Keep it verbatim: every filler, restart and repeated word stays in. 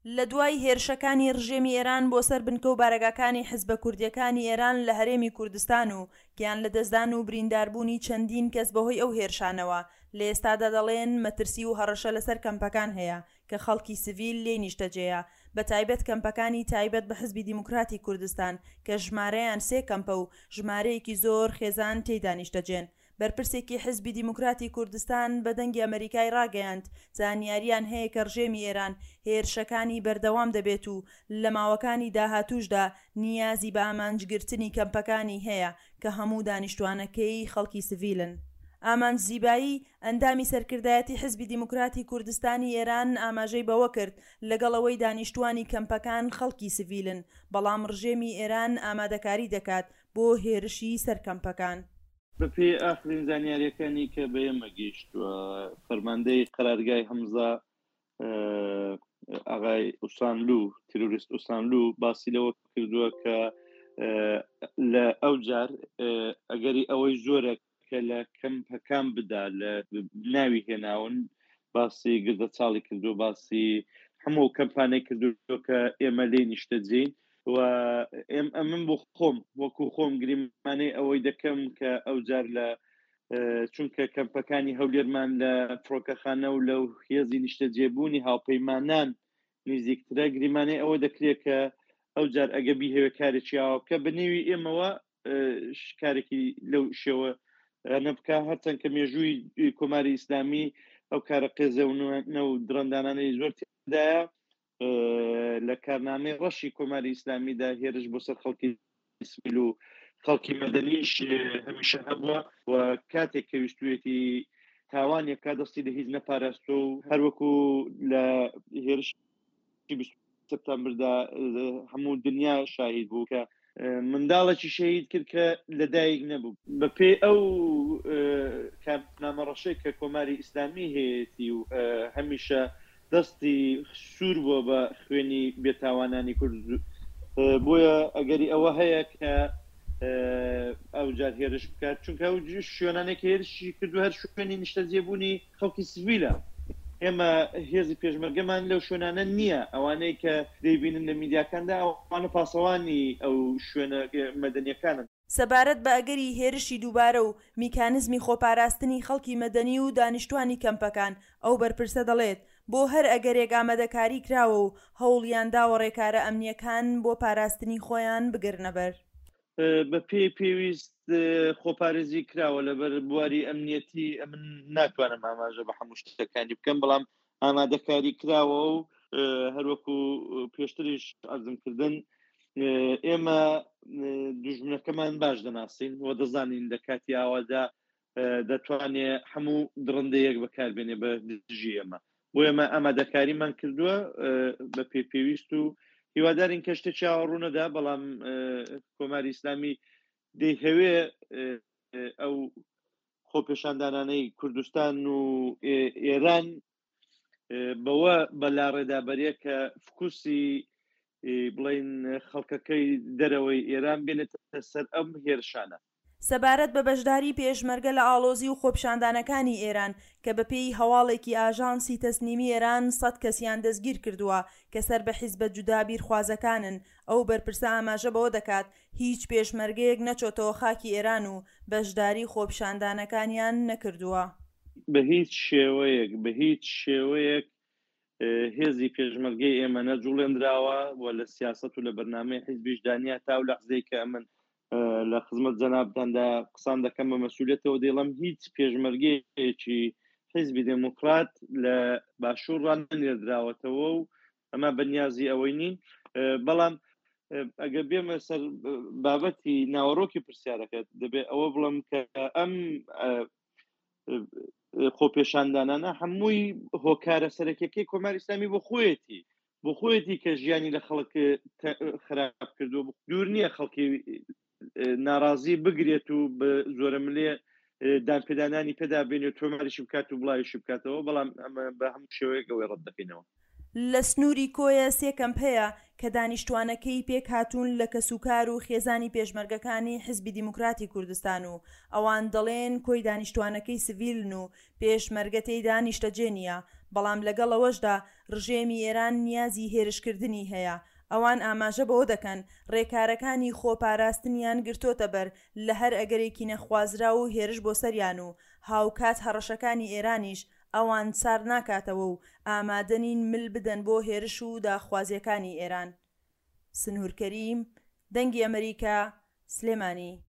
لە دوای هێرشەکانی ڕژێمی ئێران بۆ سەر بنکە و بارەگاکانی حزبە کوردییەکانی ئێران لە هەرێمی کوردستان و گیانلەدەستدان و برینداربوونی چەندین کەس بەهۆی ئەو هێرشانەوە، لە ئێستادا دەڵێن مەترسی و هەڕەشە لەسەر کەمپەکان هەیە کە خەڵکی سڤیل لێی نیشتەجێیە، بەتایبەت کەمپەکانی تایبەت بە حزبی دیموکراتی کوردستان کە ژمارەیان سێ کەمپە و ژمارەیەکی زۆر خێزان تێیدا نیشتەجێن. بەرپرسێکی حزبی دیموکراتی کوردستان بە دەنگی ئەمەریکای ڕاگەیاند زانیاریان هەیە کە ڕژێمی ئێران هێرشەکانی بەردەوام دەبێت و لە ماوەکانی داهاتووشدا نیازی بە ئامانجگرتنی کەمپەکانی هەیە کە هەموو دانیشتوانەکەی خەڵکی سڤیلن. ئامانج زیبایی، ئەندامی سەرکردایەتی حزبی دیموکراتی کوردستانی ئێران ئاماژەی بەوەکرد، لەگەڵ ئەوەی دانیشتوانی کەمپەکان خەڵکی سڤیلن، بەڵام ڕژێمی ئێران ئامادەکاری دەکات بۆ هێرشی سەر کەمپەکان. بەپێی ئاخرین زانیارییەکانی کە بە ئێمە گەیشتووە، فەرماندەی قەرارگای هەمزە ئاغای ئوسانلوو، تیرۆریست ئوسانلوو باسی لەوە کردووە کە لە ئەو جار ئەگەری ئەوەی زۆرە کە لە کەمپەکان بدا، لە ناوی هێناون، باسی گردە چاڵی کردو، باسی هەموو کەمپانەی کردو کە ئێمە لێی نیشتەجێین و ئەمن بۆ خۆم وەکو خۆم گریمانەی ئەوەی دەکەم کە ئەو جار لە چونکە کەمپەکانی هەولێرمان لە فڕۆکەخانە و لەو هێزی نیشتەجێبوونی هاوپەیمانان نزیکترە، گریمانەی ئەوە دەکرێت کە ئەو جار ئەگە بیهەوێ کارێکی ئاوا بکە بە نێوی ئێمەوە کارێکی لەو شێوە نەبکە، هەرچەند کە مێژووی کۆماری ئیسلامی ئەو کارە قێزەونە و دڕندانانەی زۆر تێدایە. لە کارنامەی ڕەشی کۆماری ئیسلامیدا هێرش بۆ سەر خەڵکی سڤیل و خەڵکی مەدەنیش هەمیشە هەبووە و کاتێک کە ویستوویەتی تاوانێک دەستی لە هیچ نەپاراستووە و هەروەکو لە هێرشی بیست سپتامبردا هەموو دنیا شاهید بوو کە منداڵێکی شەهید کرد کە لەدایک نەبوو. بەپێی ئەو کارنامە ڕەشەی کە کۆماری ئیسلامی هەیەتی و هەمیشە دەستی سوور بووە بە خوێنی بێتاوانانی کورد، بۆیە ئەگەری ئەوە هەیە کە ئەو جار هێرش بکات، چونکە ئەو شوێنانێک هێرشی کردو هەر شوێنی نیشتەجێبوونی خەڵکی سڤیلە. ئێمە هێزی پێشمەرگەمان لەو شوێنانە نییە، ئەوانەی کە دەیبینن لە میدیاکاندا ئەوانە پاسەوانی ئەو شوێنە مەدەنیەکانن. سەبارەت بە ئەگەری هێرشی دووبارە و میکانزمی خۆپاراستنی خەڵکی مەدەنی و دانیشتوانی کەمپەکان، ئەو بەرپرسە دەڵێت، بۆ هەر ئەگەرێک ئامادەکاری کراوە و هەوڵیان داوە ڕێکارە ئەمنیەکان بۆ پاراستنی خۆیان بگرنەبەر. بە پێی پێویست خۆپارێزی کراوە. لەبەر بواری ئەمنیەتی من ناتوانم ئاماژە بە هەموو شتەکانی بکەم، بەڵام ئامادەکاری کراوە و هەروەکو پێشتریش عەرزم کردن ئێمە دوژمنەکەمان باش دەناسین و دەزانین لە کاتی ئاوادا دەتوانێت هەموو دڕندەیەک بەکاربێنێ بە دژی ئێمە. بۆ ئێمە ئامادەکاریمان کردووە بە پێی پێویست و هیوادارین کە شتێکی ئاوا ڕوونەدا، بەڵام کۆماری ئیسلامی دەیهەوێ ئەو خۆپێشاندانانەی کوردستان و ئێران بەوە بەلاڕێدابەرەیە کە فکوسی بڵین خەڵکەکەی دەرەوەی ئێران بێنێتە سەر ئەم هێرشانە. سەبارەت بە بەشداری پێشمەرگە لە ئاڵۆزی و خۆپیشاندانەکانی ئێران کە بەپێی هەواڵێکی ئاژانسی تەسنیمی ئێران سەد کەسیان دەستگیر کردووە کە سەر بە حیزبە جودا بیرخوازەکانن، ئەو بەرپرسە ئاماژە بەوە دەکات هیچ پێشمەرگەیەک نەچۆتەوە خاکی ئێران و بەشداری خۆپیشاندانەکانیان نەکردووە. بە هیچ شێوەیەک بە هیچ شێوەیەک هێزی پێشمەرگەی ئێمە نەجوڵێنراوە و لە سیاسەت و لە بەرنامەی حیزبیشدا نییە. تا ئەو لەحزەی کە ئەمن لە خزمەت جەنابتاندا قسان دەکەم بە مەسئولیەتەوە دەیڵم هیچ پێشمەرگەیەکی حیزبی دێموکرات لە باشوور ڕانەنێردراوەتەوە و ئەمە بەنیازی ئەوەی نین. بەڵام ئەگەر بێمە سەر بابەتی ناوەڕۆکی پرسیارەکەت، دەبێت ئەوە بڵم کە ئەم خۆپێشاندانانە هەمووی هۆکارە سەرەکیەکەی کۆماری ئیسلامی بۆ خۆیەتی، بۆ خۆیەتی کە ژیانی لە خەڵک خراپ کردووە. دوور نییە خەڵکی ناڕازی بگرێت و بە زۆرەملێ دانپێدانانی پێدا بێنێت و تۆماریشی بکات و بڵاویشی بکاتەوە، بەڵام ئەمە بە هەموو شێوەیەک ئەوەی ڕەت دەکەینەوە. لە سنووری کۆیە سێ کەمپ هەیە کە دانیشتوانەکەی پێکهاتوون لە کەسوکار و خێزانی پێشمەرگەکانی حزبی دیموکراتی کوردستان و ئەوان دەڵێن کۆی دانیشتوانەکەی سڤیلن و پێشمەرگە تێیدا نیشتەجێ نییە، بەڵام لەگەڵ ئەوەشدا ڕژێمی ئێران نیازی هێرشکردنی هەیە. ئەوان ئاماژە بەوە دەکەن، ڕێکارەکانی خۆپاراستنیان گرتۆتەبەر لە هەر ئەگەرێکی نەخوازراو و هێرش بۆ سەریان و هاوکات هەڕەشەکانی ئێرانیش ئەوان سارد ناکاتەوە و ئامادە نین مل بدەن بۆ هێرش و داخوازییەکانی ئێران. سنوور کەریم، دەنگی ئەمەریکا، سلێمانی.